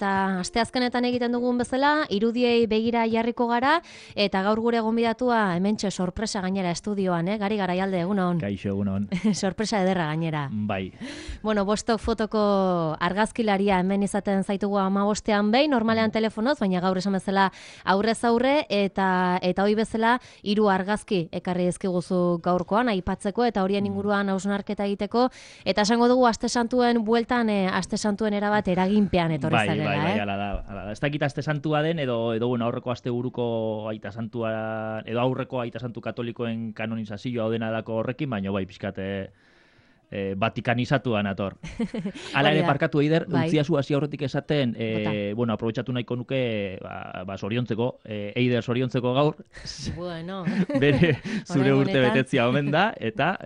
Eta asteazkenetan egiten dugun bezala, irudiei begira jarriko gara, eta gaur gure gonbidatua hementxe sorpresa gainera estudioan, Gari Garaialde, egunon. Kaixo, egunon. Sorpresa ederra gainera. Bai. Bueno, Bostok fotoko argazkilaria hemen izaten zaitugu 15ean behin, normalean telefonoz, baina gaur esan bezala aurrez aurre, eta hoi bezala 3 argazki ekarri dizkiguzu gaurkoan, aipatzeko, eta horien inguruan hausnarketa egiteko, eta esango dugu Aste Santuen bueltan, Aste Santuen erabat eraginpean etorri zarela. Bai, ala da. Ez dakit Aste Santua den, edo bueno, aurreko asteburuko Aita Santua, edo aurreko Aita Santu katolikoen kanonizazioa odena dako horrekin, baina bai, pixkat vatikanizatuan ator. Hala ere parkatu eider, utziazu hasi aurretik esaten, bueno, aprobetxatu nahiko nuke, soriontzeko, eider soriontzeko gaur. Bueno. Bere zure urte betetzia omen da, eta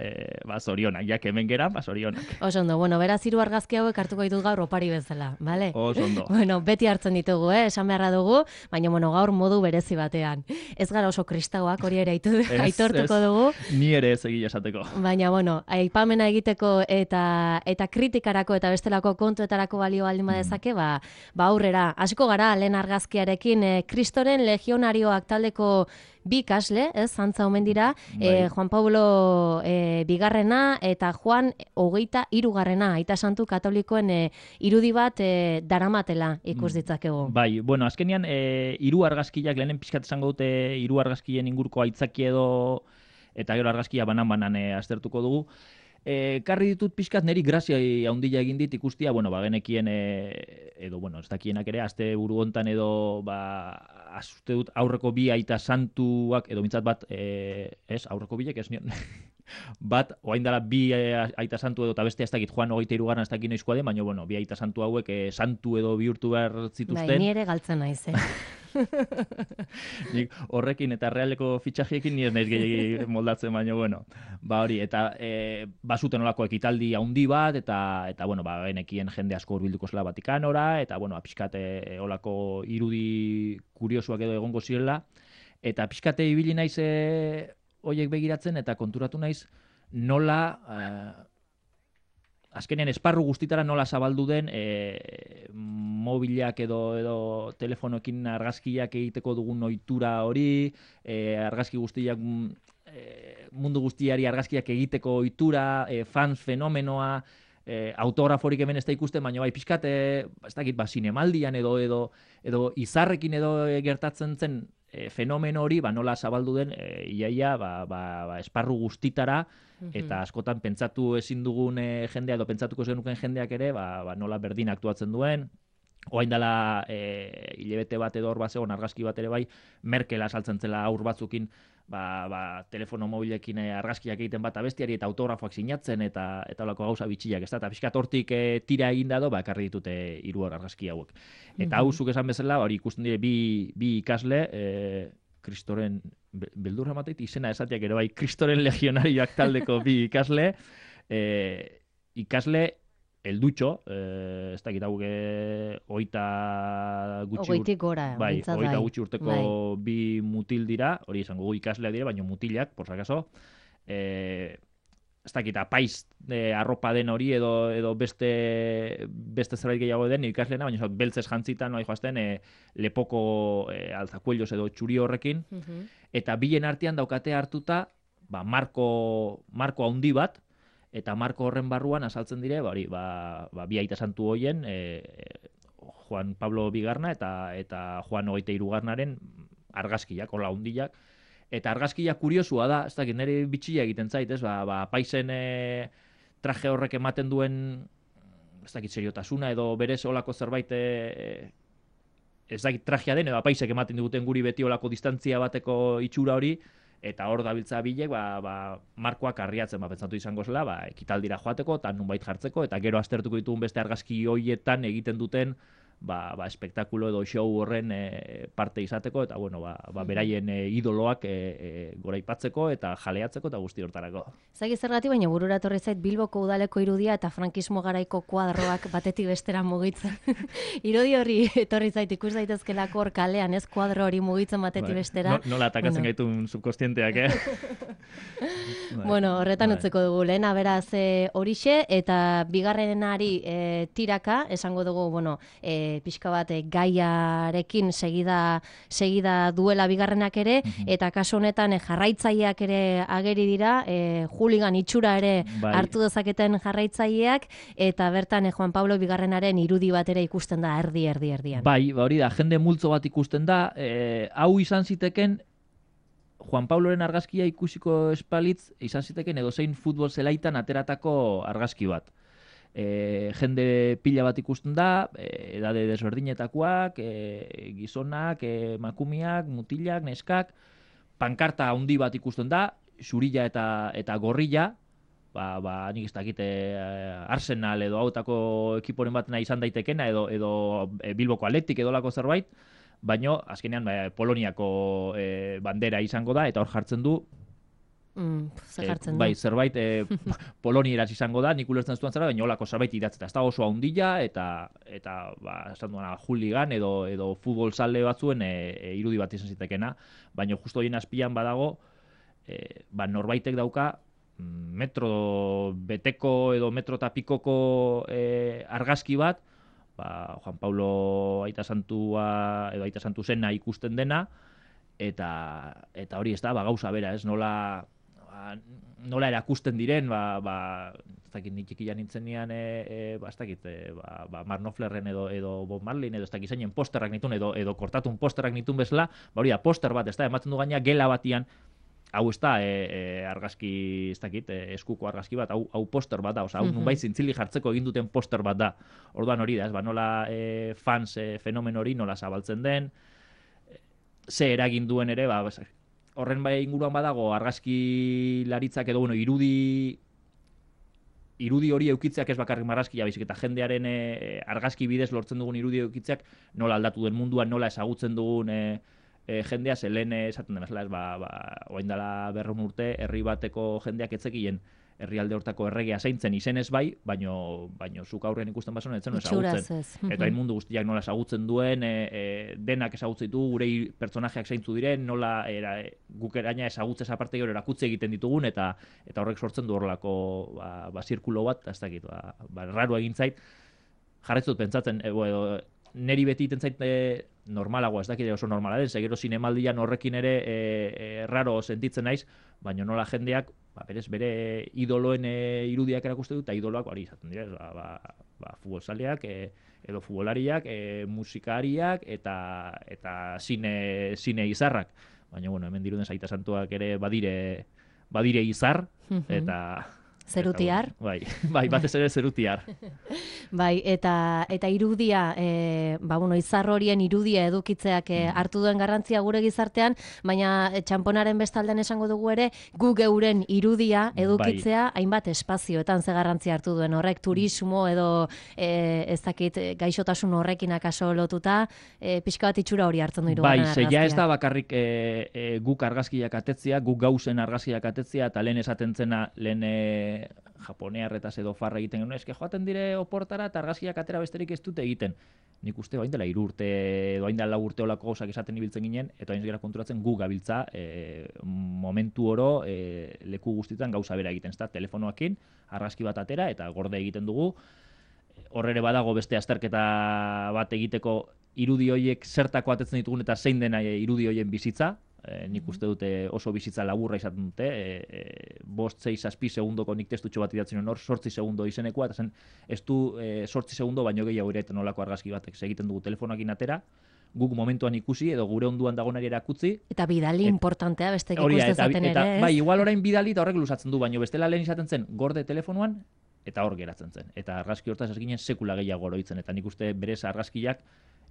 zorionak, jak hemen geran, zorionak. Oso ondo, bueno, beraz 3 argazki hauek hartuko ditut gaur opari bezala, bale? Oso ondo. Bueno, beti hartzen ditugu, esan beharra dugu, baina bueno, gaur modu berezi batean. Ez gara oso kristauak, hori ere aitortuko dugu. Ni ere ez egia esateko. Baina bueno, aipamena egiteko eta kritikarako eta bestelako kontuetarako balio baldin badezake, aurrera. Hasiko gara lehen argazkiarekin, Kristoren legionarioak taldeko 2 ikasle, zantza omen dira, Juan Pablo bigarrena eta Juan 23garrena, Aita Santu katolikoen irudi bat daramatela ikus ditzakegu. Bai, bueno, azkenean 3 argazkiak, lehenen pixkat esango dute 3 argazkien inguruko aitzaki edo, eta gero argazkia banan aztertuko dugu. Karri ditut pixkat neri grazia handia egin dit ikustia, bueno, genekien, edo, bueno, ez dakienak ere, aste buru hontan edo, uste dut aurreko 2 Aita Santuak, edo mintzat bat, aurreko bilek, ez nion, bat, oain dela 2 Aita Santu edo, eta beste ez dakit Juan 23garren ez dakit noizkoa den, baina, bueno, 2 Aita Santu hauek santu edo bihurtu behar zituzten. Bai, ni ere galtzen naiz, Nik horrekin eta realeko fitxajiekin ni ez naiz gehiagi moldatzen, baina, bueno, hori, eta bazuten olako ekitaldi handi bat, eta bueno, genekien jende asko hurbilduko zela Vatikanora, eta, bueno, pixkate olako irudi kuriosuak edo egongo zirela, eta pixkate ibili naiz hoiek begiratzen, eta konturatu naiz nola azkenean esparru guztitara nola zabaldu den mobilak edo telefonoekin argazkiak egiteko dugun ohitura hori, argazki guztiak mundu guztiari argazkiak egiteko ohitura, fans fenomenoa, autograforik hemen ez da ikusten, baina bai pixkat, ez dakit, zinemaldian edo izarrekin edo gertatzen zen fenomeno hori, nola zabaldu den, iaia, esparru guztitara, eta askotan pentsatu ezin dugun jendea, edo pentsatuko zenuken jendeak ere, nola berdin aktuatzen duen. Oain dela hilabete bat edo hor bat zegoen argazki bat ere bai, Merkela saltzen zela aur batzukin, telefono mobilekin argazkiak egiten bat abestiari eta autografoak sinatzen eta olako gauza bitxiak, ez da, eta pixkat hortik tira eginda do, ekarri ditute 3 argazki hauek. Eta hau zuk esan bezala, hori ikusten dire 2 ikasle, Kristoren, beldurra mateit, izena esatiak ere bai, Kristoren legionarioak taldeko 2 ikasle, ikasle eldutxo, ez dakit hau 20 gutxi urteko 2 mutil dira, hori izango ikasleak dira, baina mutilak, por si acaso, ez dakit apaiz arropa den hori edo beste zerbait gehiago den ikasleena, baina beltzez jantzitan noa joazten lepoko alzakuellos edo txuri horrekin, eta bilen artean daukate hartuta marko handi bat, eta marko horren barruan azaltzen dire, 2 Aita Santu hoien, Juan Pablo bigarna eta Juan 23garnaren argazkiak, hola handiak. Eta argazkiak kuriosua da, ez dakit, nire bitxia egiten zait, ez, paizen traje horrek ematen duen, ez dakit, seriotasuna edo berez olako zerbait, ez dakit trajea den, edo paisek ematen duten guri beti olako distantzia bateko itxura hori, eta hor dabiltza bilek, markoak arriatzen, pentsatu izango zela, ekitaldira joateko, eta nunbait jartzeko, eta gero aztertuko ditugun beste argazki hoietan egiten duten, espektakulo edo show horren parte izateko, eta bueno, beraien idoloak goraipatzeko eta jaleatzeko eta guzti hortarako. Zagi zergatik, baina burura etorri zait Bilboko udaleko irudia eta frankismo garaiko kuadroak batetik bestera mugitzen. Irudi hori etorri zait ikus daitezkelako hor kalean, ez kuadro hori mugitzen batetik bestera. Nola atakatzen gaitun subkostienteak, Bueno, horretan utzeko dugu, lehena beraz horixe, eta bigarrenari tiraka, esango dugu, bueno, pixka bat gaiarekin segida duela bigarrenak ere, eta kasu honetan jarraitzaileak ere ageri dira, hooligan itxura ere hartu dezaketen jarraitzaileak, eta bertan Juan Pablo bigarrenaren irudi bat ere ikusten da erdian. Bai, hori da, jende multzo bat ikusten da, hau izan ziteken Juan Pabloren argazkia ikusiko espalitz, izan ziteken edozein futbol zelaitan ateratako argazki bat. Jende pila bat ikusten da, edade desberdinetakoak, gizonak, emakumeak, mutilak, neskak, pankarta handi bat ikusten da, zurilla eta gorrilla, nik ez dakit Arsenal edo hautako ekiporen batena izan daitekena, edo Bilboko Athletic edolako zerbait, baino azkenean Poloniako bandera izango da, eta hor jartzen du zerbait polonieraz izango da, nik ulertzen zuen zera, baina holako zerbait idatzeta. Ez da oso handia, eta esan duena hooligan edo futbol zale batzuen irudi bat izan zitekena, baina justo horien azpian badago, norbaitek dauka metro beteko edo metro tapikoko argazki bat, Juan Pablo aita santua edo aita santu zena ikusten dena, eta hori ez da, gauza bera, ez nola erakusten diren, ez dakit nitxikian nintzenean, ez dakit, Mark Knopflerren edo Bob Marleyn, edo ez dakit zeinen posterrak nitun, edo kortatun posterrak nitun bezala, hori da, poster bat, ez da, ematen du gaina gela batian, hau ez da argazki, ez dakit, eskuko argazki bat, hau poster bat da, hau nunbait zintzili jartzeko egin duten poster bat da. Orduan hori da, nola fans fenomen hori nola zabaltzen den, ze eragin duen ere, horren bai inguruan badago argazki laritzak edo, irudi hori eukitzeak ez bakarrik marrazkia, baizik eta jendearen argazki bidez lortzen dugun irudi eukitzeak nola aldatu den munduan, nola ezagutzen dugun jendea, zelen esaten den, oain dela 100 urte, herri bateko jendeak etzekien herrialde hortako erregea zaintzen izenez bai, baino zuk aurrean ikusten basoen etzen ezagutzen. Eta hain mundu guztiak nola ezagutzen duen, denak ezagutzen ditu, gure pertsonajeak zaintzu diren, nola guk eraina ezagutzez aparte gero erakutze egiten ditugun, eta horrek sortzen du horrelako zirkulo bat, ez dakit, raro egin zait, jarretzut pentsatzen, neri beti iten zait normalagoa, ez dakit oso normala den, segero zinemaldian horrekin ere raro sentitzen naiz, baina nola jendeak, berez bere idoloen irudiak erakuste du, eta idoloak hori izaten dira, futbolzaleak, edo futbolariak, musikariak, eta zine izarrak. Baina, hemen diruden Aita Santuak ere badire izar, eta... Zerutiar. Bai, batez ere zerutiar. Bai, eta irudia, izar horien irudia edukitzeak hartu duen garrantzia gure gizartean, baina txamponaren bestaldean esango dugu ere, gu geuren irudia edukitzea hainbat espazioetan ze garrantzia hartu duen horrek, turismo edo ez dakit gaixotasun horrekin akaso lotuta, pixka bat itxura hori hartzen du irugarren argazkia. Bai, ja ez da bakarrik guk argazkiak atetzea, guk gauzen argazkiak atetzea, eta lehen esaten zena, japonearretaz edo farra egiten genuen, eske joaten dire oportara eta argazkiak atera besterik ez dute egiten. Nik uste hain dela 3 urte edo hain dela 4 urte olako gauzak esaten ibiltzen ginen, eta hain gara konturatzen gu gabiltza momentu oro leku guztietan gauza bera egiten, ezta? Telefonoakin argazki bat atera eta gorde egiten dugu. Hor ere badago beste azterketa bat egiteko irudi horiek zertako atetzen ditugun eta zein dena irudi horien bizitza. Nik uste dute oso bizitza laburra izaten dute, 5-6 segundoko nik testutxo bat idatzen hor, 8 segundo izenekoa, eta zen ez du 8 segundo baino gehiago ere eta nolako argazki batek egiten dugu telefonoakin atera, guk momentuan ikusi edo gure onduan dagoenari erakutsi. Eta bidali importantea bestek ikusten zaten ere, ez? Bai, igual orain bidali eta horrek luzatzen du, baino bestela lehen izaten zen gorde telefonoan eta hor geratzen zen. Eta argazki hortaz ez ginen sekula gehiago oroitzen, eta nik uste berez argazkiak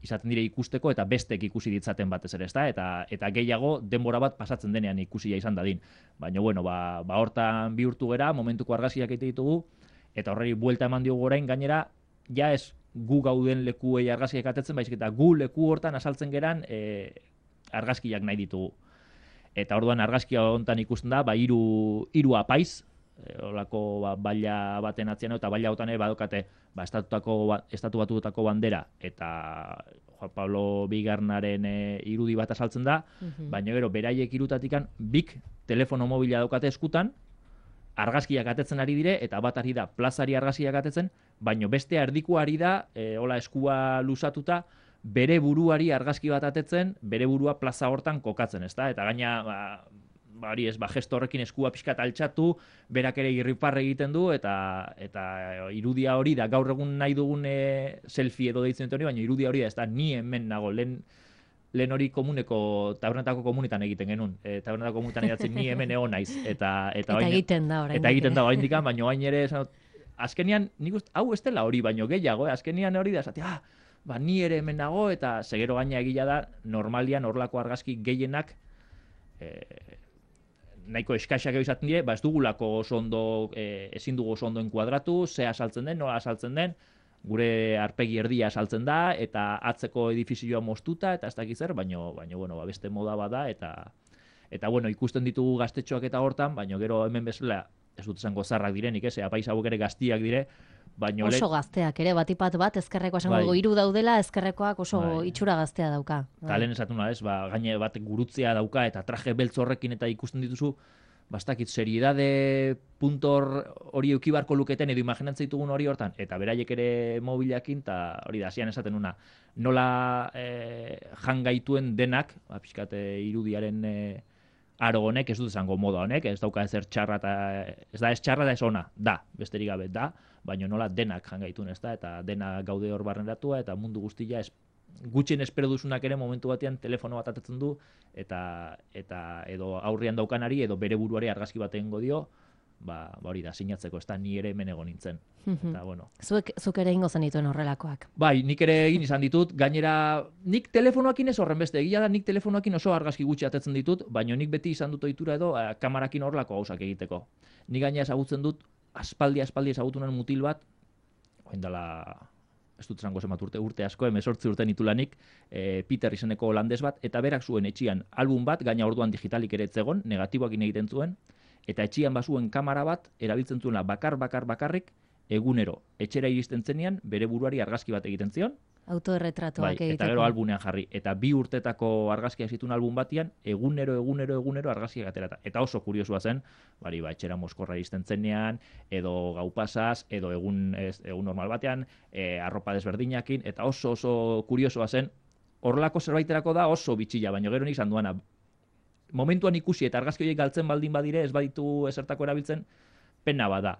izaten dire ikusteko eta bestek ikusi ditzaten batez ere, ezta? Eta gehiago denbora bat pasatzen denean ikusia izan dadin. Baina, hortan bihurtu gera, momentuko argazkiak egite ditugu, eta horreri buelta eman diogu orain, gainera, ja ez gu gauden lekuei argazkiak atetzen, baizik eta gu leku hortan asaltzen geran argazkiak nahi ditugu. Eta orduan argazkia hontan ikusten da, hiru apaiz, olako baila baten atzian, eta baila hotan badokate estatu batutako bandera eta Juan Pablo bigarrenaren irudi bat asaltzen da, baina gero beraiek irutatikan bik telefono mobila daukate eskutan, argazkiak atetzen ari dire, eta bat ari da plazari argazkiak atetzen, baino bestea erdikoa ari da, hola eskua luzatuta, bere buruari argazki bat atetzen, bere burua plaza hortan kokatzen, ezta? Eta gaina, hori ez, gesto horrekin eskua pixkat altxatu, berak ere irriparre egiten du, eta irudia hori da, gaur egun nahi dugun selfie edo deitzen dut hori, baina irudia hori da, ez da, ni hemen nago, lehen hori komuneko, tabernetako komunitan egiten genuen. Tabernetako komunitan edatzen ni hemen egon naiz. Eta egiten da orain. Eta egiten da orain dikan, baina orain ere, azkenian, nik uste, hau ez dela hori, baino gehiago, azkenian hori da, ni ere hemen nago, eta segero gaina egila da, normalian horlako argazki gehienak, nahiko eskaxak izaten dire, ez dugulako oso ondo, ezin dugu oso ondo enkuadratu, ze asaltzen den, nola asaltzen den, gure arpegi erdia saltzen da, eta atzeko edifizioa moztuta, eta ez dakiz zer, baina beste moda bada, eta ikusten ditugu gaztetxoak eta hortan, baina gero hemen bezala, ez dut esango zarrak direnik, apaiz hauek ere gaztiak dire, baina oso gazteak ere, batipat bat, ezkerrekoa esango dugu, 3 daudela, ezkerrekoak oso itxura gaztea dauka. Eta lehen esatu ez, gaine bat gurutzea dauka, eta traje beltz horrekin eta ikusten dituzu, bastakit, seriedade puntor hori eukibarko luketen edo imaginatzen ditugun hori hortan, eta beraiek ere mobilakin, eta hori da, hasian esaten una, nola jangaituen denak, pixkat irudiaren aro honek, ez dut esango moda honek, ez dauka ezer txarra, ez da ez txarra da ez ona, da, besterik gabe, da, baina nola denak jangaituen, ez da, eta dena gaude hor barneratua, eta mundu guztia gutxien espero duzunak ere momentu batean telefono bat atetzen du, eta edo aurrian daukanari, edo bere buruari argazki bat egingo dio, hori da, sinatzeko, ez da, ni ere hemen egon nintzen. Eta, bueno. Zuk ere ingo zenituen horrelakoak. Bai, nik ere egin izan ditut, gainera, nik telefonoakin ez horren beste, egia da, nik telefonoakin oso argazki gutxi atetzen ditut, baina nik beti izan dut ohitura edo kamarakin horrelako gauzak egiteko. Nik gainera ezagutzen dut, aspaldi ezagutunen mutil bat, oindala, ez dut zango zemat urte asko, 18 urte nitulanik, Peter izeneko holandes bat, eta berak zuen etxian album bat, gaina orduan digitalik ere etzegon, negatiboakin egiten zuen, eta etxian bazuen kamera bat, erabiltzen zuela bakarrik, egunero, etxera iristen zenean, bere buruari argazki bat egiten zion, autoerretratuak egiteko. Eta gero albunean jarri. Eta 2 urtetako argazkiak zituen album batian, egunero argazkiak aterata. Eta oso kuriosua zen, etxera Moskorra iristen zenean, edo gau pasaz, edo egun normal batean, arropa desberdinakin, eta oso kuriosoa zen, horrelako zerbaiterako da oso bitxila, baina gero nik izan duana. Momentuan ikusi eta argazki horiek galtzen baldin badire, ez baditu ezertako erabiltzen, pena bada.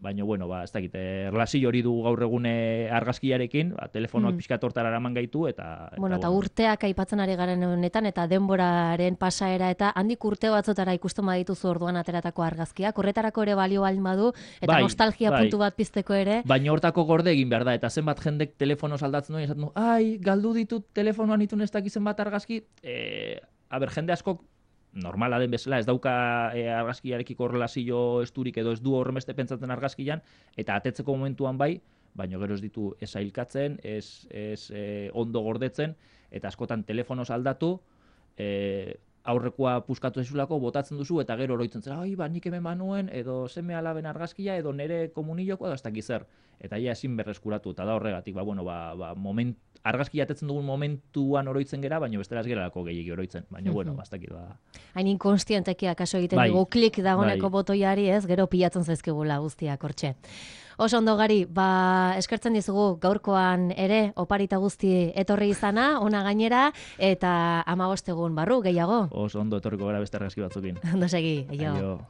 Baina, ez dakit, erlazio hori du gaur egune argazkiarekin, telefonoak pixkat hortara eraman gaitu, eta... Eta urteak aipatzen ari garen honetan, eta denboraren pasaera, eta handik urte batzotara ikusten badituzu orduan ateratako argazkiak, horretarako ere balio baldin badu, eta nostalgia puntu bat pizteko ere. Baina hortako gorde egin behar da, eta zenbat jendek telefonoz aldatzen duen, esaten du, galdu ditut telefonoan itun ez dakizen bat argazki, jende askok, normala den bezala, ez dauka argazkiarekiko relazio esturik edo ez du horremeste pentsatzen argazkian, eta atetzeko momentuan bai, baina gero ez ditu ez ailkatzen, ez ondo gordetzen, eta askotan telefonoz aldatu, aurrekoa puskatu ezulako, botatzen duzu, eta gero oroitzen zera, nik hemen banuen, edo seme alaben argazkia, edo nere komuniloko, edo ez dakiz zer. Eta ia ezin berreskuratu, eta da horregatik, argazkia atetzen dugun momentuan oroitzen gera, baina bestela ez geralako gehiagi oroitzen, baina bastakit da. Hain inkonstienteki akaso egiten dugu klik dagoneko botoiari, ez, gero pilatzen zaizkigula guztiak hortxe. Oso ondo Gari, eskertzen dizugu gaurkoan ere oparita guzti etorri izana, ona gainera, eta 15 egun barru gehiago. Oso ondo etorriko gara beste argazki batzukin. Ondo segi, aio.